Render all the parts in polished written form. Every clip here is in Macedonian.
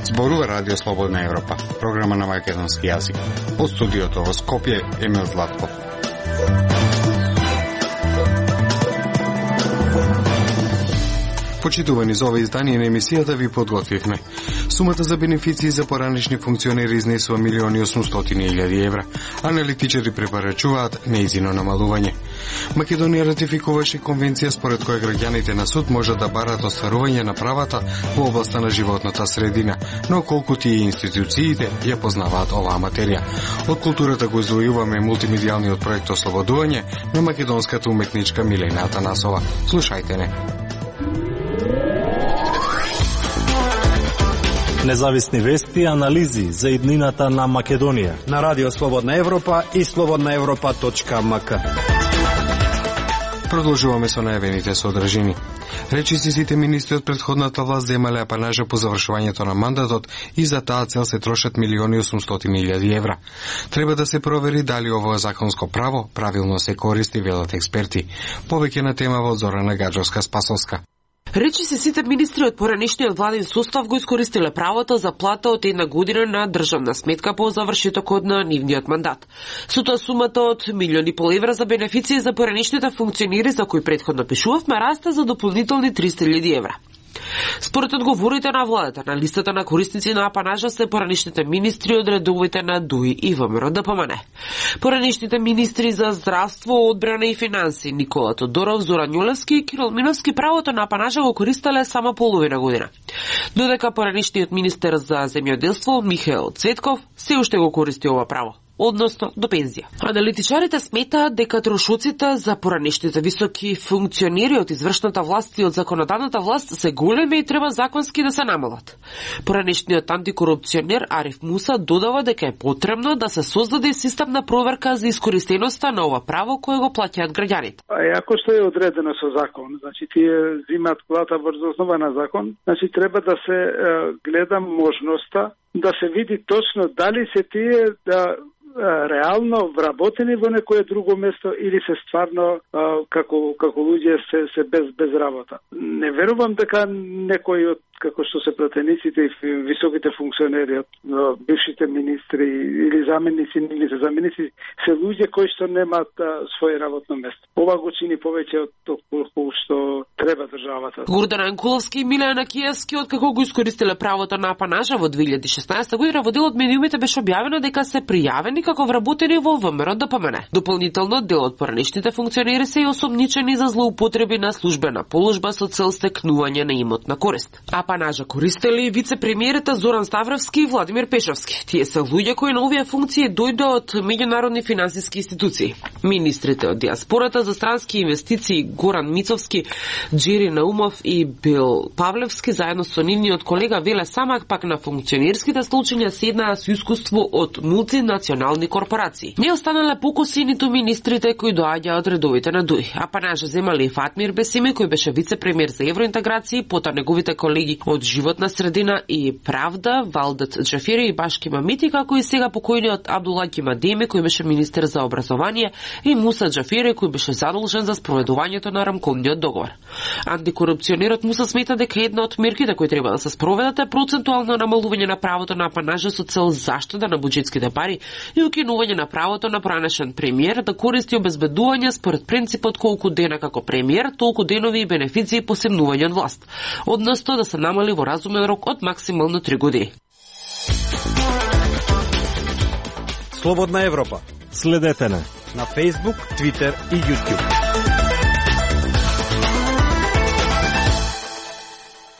Зборува Радио Слободна Европа, програма на македонски јазик. Од студиото во Скопје, Емил Златков. Почитувани, за ова издание на емисијата ви подготвивме. Сумата за бенефиции за поранешни функционери изнесува 1.800.000 евра. Аналитичари препорачуваат неизино намалување. Македонија ратификуваше конвенција според која граѓаните на суд можат да барат остварување на правата во областа на животната средина, но колку тие институциите ја познаваат оваа материја. Од културата го извојуваме мултимедијалниот проект Ослободување на македонската уметничка Милена Атанасова. Слушајте не. Независни вести и анализи за иднината на Македонија на Радио Слободна Европа и slobodnaevropa.mk. Продолжуваме со најавените содржини. Речиси сите министри од претходната власт земале апанажа по завршувањето на мандатот и за таа цел се трошат 1.800.000 евра. Треба да се провери дали ово законско право правилно се користи, велат експерти. Повеќе на темава од Зорана Гаджовска-Спасовска. Речиси сите министри од поранешниот владин состав го искористиле правото за плата од 1 година на државна сметка по завршетокот на нивниот мандат. Со тоа сумата од 1,5 милиони евра за бенефиции за поранешните функционери за кои претходно пишувавме расте за дополнителни 300.000 евра. Според одговорите на владата, на листата на корисници на апанажа се поранешните министри од редовите на ДУИ и ВМРО ДПМН. Поранешните министри за здравство, одбрана и финанси Никола Тодоров, Зоран Јулевски и Кирил Миновски правото на апанажа го користеле само половина година. Додека поранешниот министер за земјоделство Михаил Цветков се уште го користи ова право, односно до пензија. Аналитичарите сметаат дека трошоците за поранешните високи функционери од извршната власт и од законодавната власт се големи и треба законски да се намалат. Поранешниот антикорупционер Ариф Муса додава дека е потребно да се создаде систем на проверка за искористеноста на ова право кое го плаќаат граѓаните. Ако што е одредено со закон, значи тие взимаат плата врз основа на закон, значи треба да се гледа можноста да се види точно дали се тие да реално вработени во некое друго место или се стварно како луѓе се без работа. Не верувам дека некој од како што се пратениците и високите функционери од бившите министри или заменици се луѓе кои што немаат своје работно место. Ова го чини повеќе од колку што треба државата. Гордан Анкуловски и Милена Киевски откако го искористиле правото на апанажа во 2016 година во дел од медиумите беше објавено дека се пријавени како вработени во ВМРО ДПМН. Дополнително дел од поранешните функционери се и осомничени за злоупотреби на службена положба со цел стекнување на имотна корист. Апанажа користели вице-премиерите Зоран Ставровски и Владимир Пешовски. Тие се луѓе кои на овие функции дојде од меѓународни финансиски институции. Министрите од диаспората за странски инвестиции Горан Мицовски, Джери Наумов и Бил Павлевски заедно со нивниот колега Веле Самак пак на функционерските случања седнаа со искуство од мултинационални корпорации. Не останале покуси ниту министрите кои доаѓаат од редовите на ДУИ. Апанажа земале и Фатмир Бесими кој беше вице-премиер за евроинтеграција, пота неговите колеги од животна средина и правда, Валдет Джафери и Башки Мамити, како и сега покојниот Абдула Кимадеми кој беше министер за образование и Муса Джафери кој беше задолжен за спроведувањето на рамковниот договор. Антикорупционерот Муса смета дека една од мерките кои треба да се спроведат е процентуално намалување на правото на апанажа со цел заштита на буџетските пари и укинување на правото на поранешен премиер да користи обезбедување според принципот колку дена како премиер, толку денови и бенефиции по семнување од власт, односно да се намали во разумен рок од максимално 3 години. Слободна Европа. Следете на Facebook, Twitter и YouTube.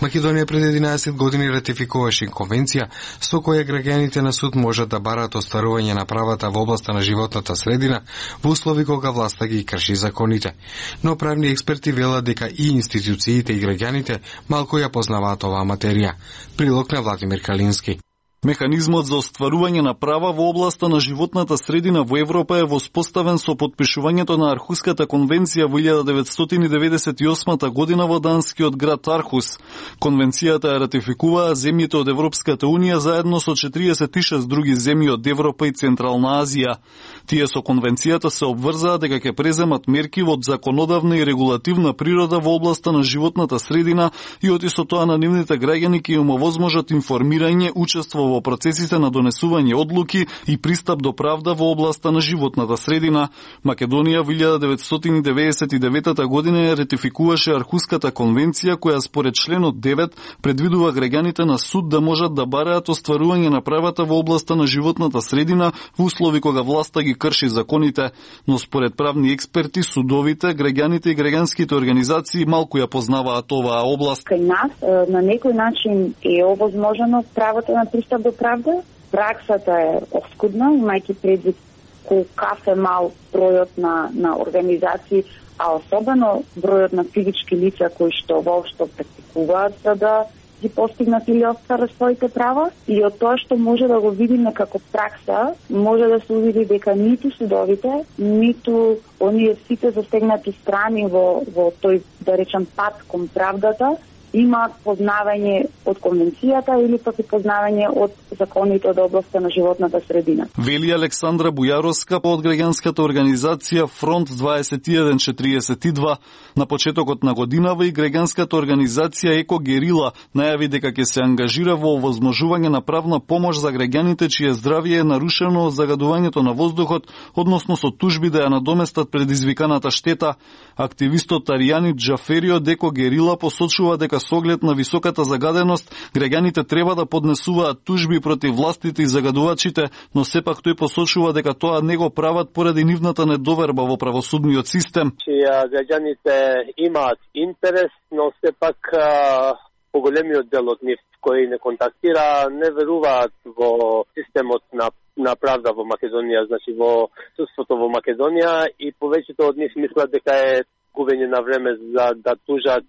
Македонија пред 11 години ратификуваше конвенција со која граѓаните на суд можат да бараат остварување на правата во областа на животната средина во услови кога власта ги крши законите. Но правни експерти велат дека и институциите и граѓаните малку ја познаваат оваа материја. Прилог на Владимир Калински. Механизмот за остварување на права во областа на животната средина во Европа е воспоставен со подпишувањето на Архуската конвенција во 1998 година во данскиот град Архус. Конвенцијата ја ратификуваа земјите од Европската унија заедно со 46 други земји од Европа и Централна Азија. Тие со конвенцијата се обврзаа дека ќе преземат мерки од законодавна и регулативна природа во областа на животната средина и оти со тоа на нивните граѓани ќе им овозможат информирање, учество во процесите на донесување одлуки и пристап до правда во областа на животната средина. Македонија во 1999 година ја ретификуваше Архуската конвенција која според членот 9 предвидува граѓаните на суд да можат да бараат остварување на правата во областа на животната средина во услови кога власта ги крши законите, но според правни експерти, судовите, граѓаните и граѓанските организации малку ја познаваат оваа област. Кај нас на некој начин е овозможено правото на пристап до правда. Праксата е оскудна, имајќи предвид колкав е мал бројот на организации, а особено бројот на физички лица кои што воопшто практикуваат за да ги постигнат или остварат своите права. И од тоа што може да го видиме како пракса, може да се увиди дека ниту судовите, ниту оние сите застегнати страни во тој, да речем, пат кон правдата, има познавање од конвенцијата или пак и познавање од законите од областта на животната средина. Вели Александра Бујаровска од граѓанската организација Фронт 2142. На почетокот на годинава и граѓанската организација Еко Герила најави дека ќе се ангажира во овозможување на правна помош за граѓаните чие здравје е нарушено од загадувањето на воздухот, односно со тужби да ја надоместат предизвиканата штета. Активистот Аријани Џафери од Еко Герила посочува дека со оглед на високата загаденост, граѓаните треба да поднесуваат тужби против властите и загадувачите, но сепак тој посочува дека тоа не го прават поради нивната недоверба во правосудниот систем. Граѓаните имаат интерес, но сепак поголемиот дел од нив кои не контактира, не веруваат во системот на правда во Македонија, значи во судството во Македонија, и повеќето од нив мислат дека е губење на време за да тужат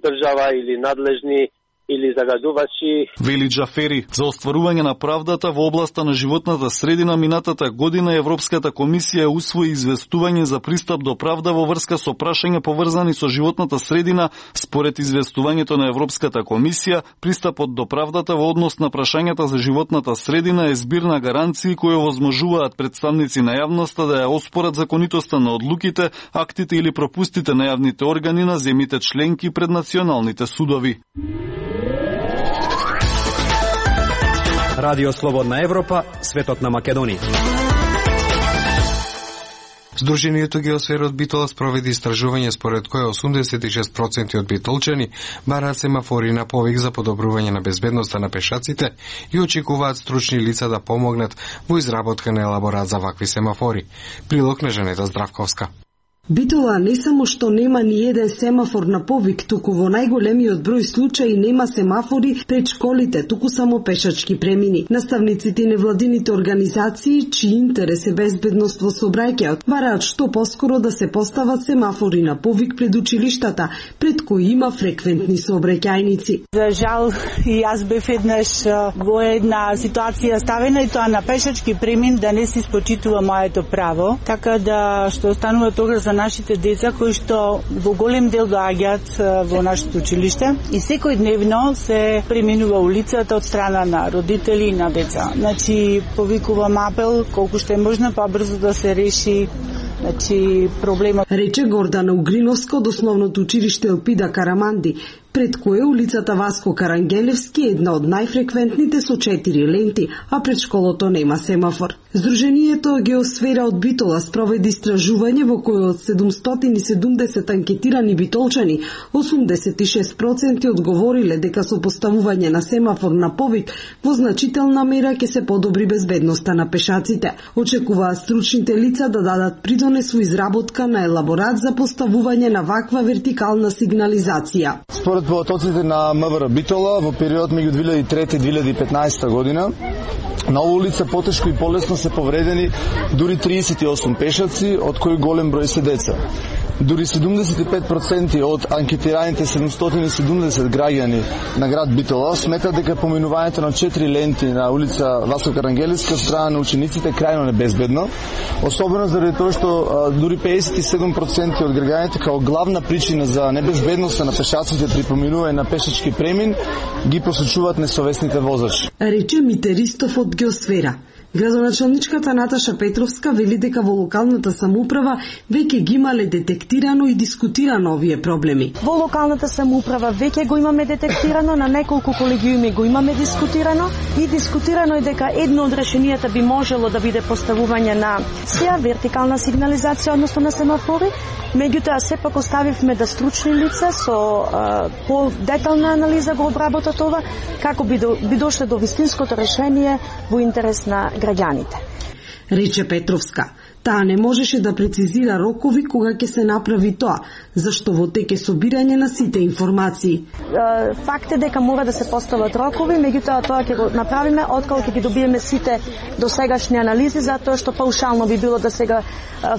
држава или надлежни или загадувачи. Вели Џафери, за остварување на правдата во областа на животната средина минатата година Европската комисија усвои известување за пристап до правда во врска со прашања поврзани со животната средина. Според известувањето на Европската комисија, пристапот до правдата во однос на прашањата за животната средина е збир на гаранции кои овозможуваат представници на јавноста да ја оспорат законитоста на одлуките, актите или пропустите на јавните органи на земјите членки пред националните судови. Радио Слободна Европа, светот на Македонија. Сдруженијето Геосфера од Битола спроведи истражување според кое 86% од битолчани бараат семафори на повик за подобрување на безбедноста на пешаците и очекуваат стручни лица да помогнат во изработка на елаборат за вакви семафори. Прилог на Жанета Здравковска. Битола не само што нема ни еден семафор на повик, туку во најголемиот број случаи нема семафори пред школите, туку само пешачки премини. Наставниците и невладините организации, чиј интерес е безбедност во сообраќајот, бараат што поскоро да се постават семафори на повик пред училиштата, пред кои има фреквентни сообраќајници. За жал, и јас бев еднаш во една ситуација ставена, и тоа на пешачки премин, да не се испочитува моето право, така да што останува тога за нашите деца кои што во голем дел доаѓаат во нашето училиште и секојдневно се преминува улицата од страна на родители и на деца. Значи, повикувам апел колку што е можно побрзо да се реши проблемот. Рече Гордана Угриновска од основното училиште Елпида Караманди, пред кое улицата Васко Карангелевски е една од најфреквентните со 4 ленти, а пред школото нема семафор. Сдруженијето Геосфера од Битола спроведи истражување во кое од 770 анкетирани битолчани, 86% одговориле дека со поставување на семафор на повик во значителна мера ќе се подобри безбедноста на пешаците. Очекуваат стручните лица да дадат придонес во изработка на елаборат за поставување на ваква вертикална сигнализација. Според потоците на МВР Битола, во период меѓу 2003 и 2015 година, на оваа улица потешко и полесно се повредени дури 38 пешаци, од кои голем број се деца. Дури 75% од анкетираните 770 граѓани на град Битола сметат дека поминувањето на 4 ленти на улица Васко Карангелевска од страна на учениците е крајно небезбедно, особено заради тоа што дури 57% од граѓаните као главна причина за небезбедноста на пешаците при поминување на пешачки премин ги посочуваат несовесните возачи. Рече Мите Ристов од Геосфера. Градоначалничката Наташа Петровска вели дека во локалната самоуправа веќе ги имале детектирано и дискутирано овие проблеми. Во локалната самоуправа веќе го имаме детектирано, на неколку колегиуми го имаме дискутирано и дискутирано е дека едно од решенијата би можело да биде поставување на вертикална сигнализација, односно на семафори. Меѓутоа, сепак оставивме да стручни лица со по-детална анализа го обработат ова, како би дошле до вистинското решение во интерес на граѓаните. Рече Петровска. Таа не можеше да прецизира рокови кога ќе се направи тоа, зашто во тек е собирање на сите информации. Факт е дека мора да се постават рокови, меѓутоа тоа ќе го направиме откако ќе ги добиеме сите досегашни анализи, затоа што паушално би било да сега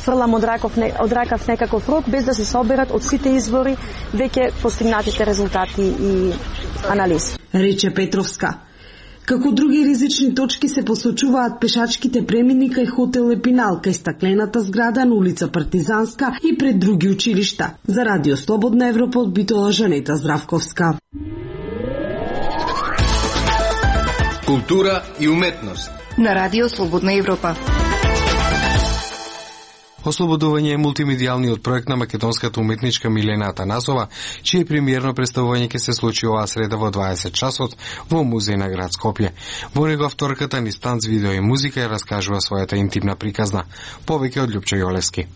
фрлам од ракав некаков рок, без да се соберат од сите извори веќе постигнатите резултати и анализи. Рече Петровска. Како други ризични точки се посочуваат пешачките премини кај хотел Епинал, кај стаклената зграда на улица Партизанска и пред други училишта. За Радио Слободна Европа од Битола Жанета Здравковска. Култура и уметност на Радио Слободна Европа. Ослободување е мултимедијалниот проект на македонската уметничка Милена Атанасова, чие премиерно представување ќе се случи оваа среда во 20 часот во музеј на град Скопје. Во него авторката ни станц видео и музика ја раскажува својата интимна приказна. Повеќе од Љупчо Јолевски.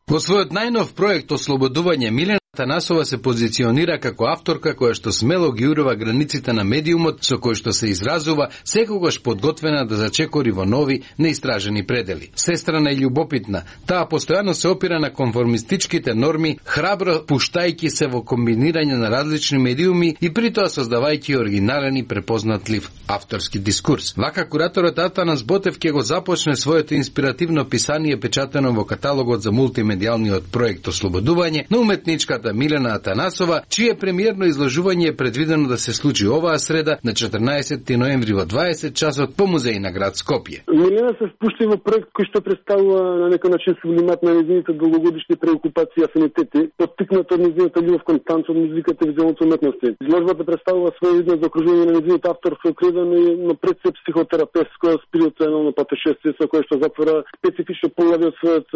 Во својот најнов проект Ослободување Милена Атанасова се позиционира како авторка која што смело ги урува границите на медиумот со кој што се изразува, секогаш подготвена да зачекори во нови, неистражени предели. Сестрана и љубопитна, таа постојано се опира на конформистичките норми, храбро пуштајќи се во комбинирање на различни медиуми и притоа создавајќи оригинален и препознатлив авторски дискурс. Вака кураторот Атанас Ботев ќе го започне своето инспиративно писание печатено во каталогот за мултимедијалниот проект Ослободување на уметничката Милена Атанасова, чие премиерно изложување е предвидено да се случи оваа среда на 14 ноември во 20 часот по музеј на град Скопје. Милена се спушти во проект кој што представува на некој начин сублимат на нејзините долгогодишни преокупации и афинитети, поттикнат од нејзината љубов кон танцот, музиката и визуалните уметности. Изложбата представува свој изглед за окружување на нејзините авторство окредено на пред се психотерапевтско спиритуелно патешествие со кое што затвора специфично поглави од својот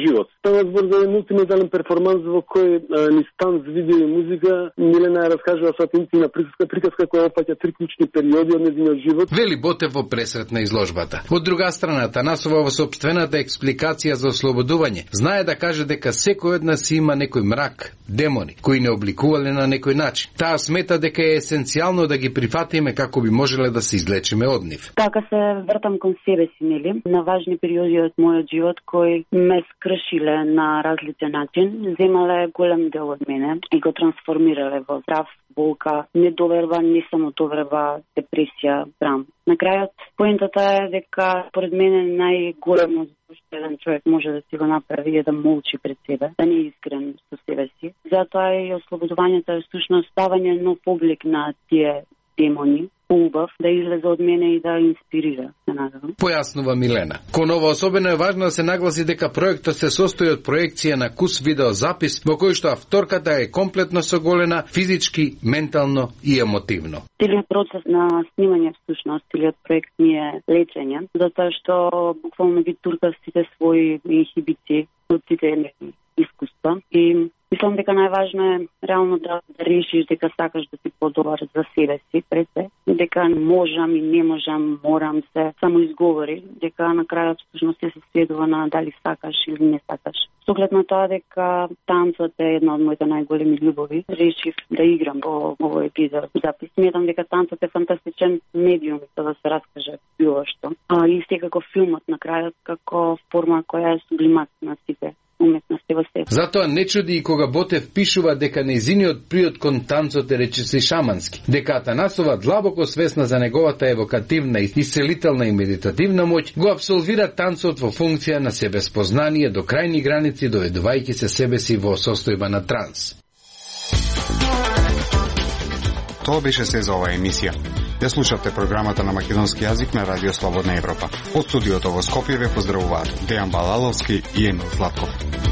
живот. Става збор за мултимедијален перформанс во кој ни станц видео и музика Милена ја раскажува својата интимна приказка која опфаќа три клучни периоди од нејзиниот живот. Вели Ботев во пресрет на изложбата. Од друга страна, Атанасова во сопствената експликација за ослободување знае да каже дека секој од нас има некој мрак, демони, кои не обликувале на некој начин. Таа смета дека е есенцијално да ги прифатиме како би можеле да се излечиме од нив. Така се вртам кон себе си, нели? На важни периоди од мојот живот кои ме скршиле на различен начин, земале голем дел од мене и го трансформирале во страв, болка, недоверба, не само доверба, депресија, срам. На крајот, поентата е дека поред мене најголемот што еден човек може да си го направи е да молчи пред себе, да не е искрен со себе си. Затоа и ослободувањето е всушност ставање нов облик на тие демони, убав да излезе од мене и да инспирира, се надевам. Појаснува Милена. Кон ова особено е важно да се нагласи дека проектот се состои од проекција на кус видеозапис во кој што авторката е комплетно соголена физички, ментално и емотивно. Целиот процес на снимање всушност, целиот проект ми е лечење, затоа што буквално ги туркав сите своји инхибиции од сите искуства и мислам дека најважно е реално да решиш дека сакаш да си подобар за себе си, пред се, дека можам и не можам, морам се само изговори, дека на крајот всушност се сведува на дали сакаш или не сакаш. Со оглед на тоа дека танцот е една од моите најголеми љубови, решив да играм во овој епизод запис. Сметам дека танцот е фантастичен медиум за да се раскаже било што. И секако филмот на крајот како форма која е сублимат на сите уметности во себе. Затоа не чуди и кога Ботев пишува дека нејзиниот приод кон танцот е речиси шамански, дека Атанасова длабоко свесна за неговата евокативна, исцелителна и медитативна моќ, го абсолвира танцот во функција на себеспознание до крајни граници, доведувајќи се себе си во состојба на транс. Тоа беше се за оваа емисија. Ја слушавте програмата на македонски јазик на Радио Слободна Европа. Од студиото во Скопје ве поздравуваат Дејан Балаловски и Емил Златков.